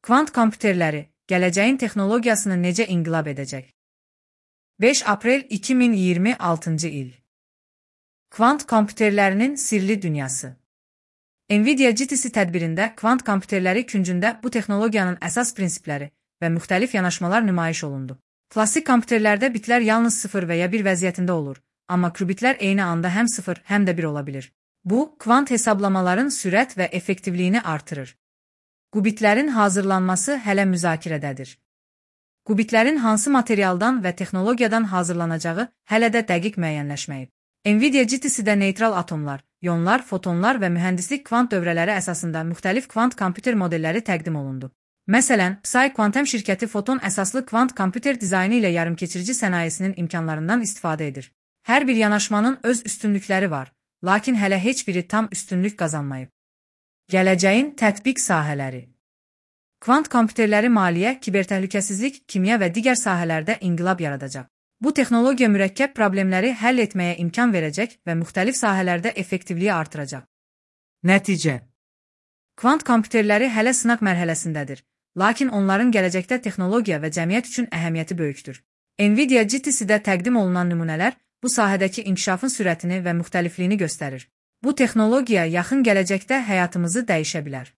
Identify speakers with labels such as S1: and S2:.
S1: Kvant kompüterləri gələcəyin texnologiyasını necə inqilab edəcək? 5 aprel 2026-cı il. Kvant kompüterlərinin sirli dünyası. NVIDIA GTC tədbirində kvant kompüterləri küncündə bu texnologiyanın əsas prinsipləri və müxtəlif yanaşmalar nümayiş olundu. Klassik kompüterlərdə bitlər yalnız 0 və ya 1 vəziyyətində olur, amma qubitlər eyni anda həm 0, həm də 1 ola bilir. Bu, kvant hesablamaların sürət və effektivliyini artırır. Qubitlərin hazırlanması hələ müzakirədədir. Qubitlərin hansı materialdan və texnologiyadan hazırlanacağı hələ də dəqiq müəyyənləşməyib. NVIDIA GTC-də neytral atomlar, ionlar, fotonlar və mühəndislik kvant dövrələri əsasında müxtəlif kvant kompüter modelləri təqdim olundu. Məsələn, Psi Quantum şirkəti foton əsaslı kvant kompüter dizaynı ilə yarımkeçirici sənayesinin imkanlarından istifadə edir. Hər bir yanaşmanın öz üstünlükləri var, lakin hələ heç biri tam üstünlük qazanmayıb. Gələcəyin tətbiq sahələri. Kvant kompüterləri maliyyə, kibertəhlükəsizlik, kimya və digər sahələrdə inqilab yaradacaq. Bu texnologiya mürəkkəb problemləri həll etməyə imkan verəcək və müxtəlif sahələrdə effektivliyi artıracaq. Nəticə. Kvant kompüterləri hələ sınaq mərhələsindədir, lakin onların gələcəkdə texnologiya və cəmiyyət üçün əhəmiyyəti böyükdür. NVIDIA GTC-də təqdim olunan nümunələr bu sahədəki inkişafın sürətini və müxtəlifliyini göstərir. Bu texnologiya yaxın gələcəkdə həyatımızı dəyişə bilər.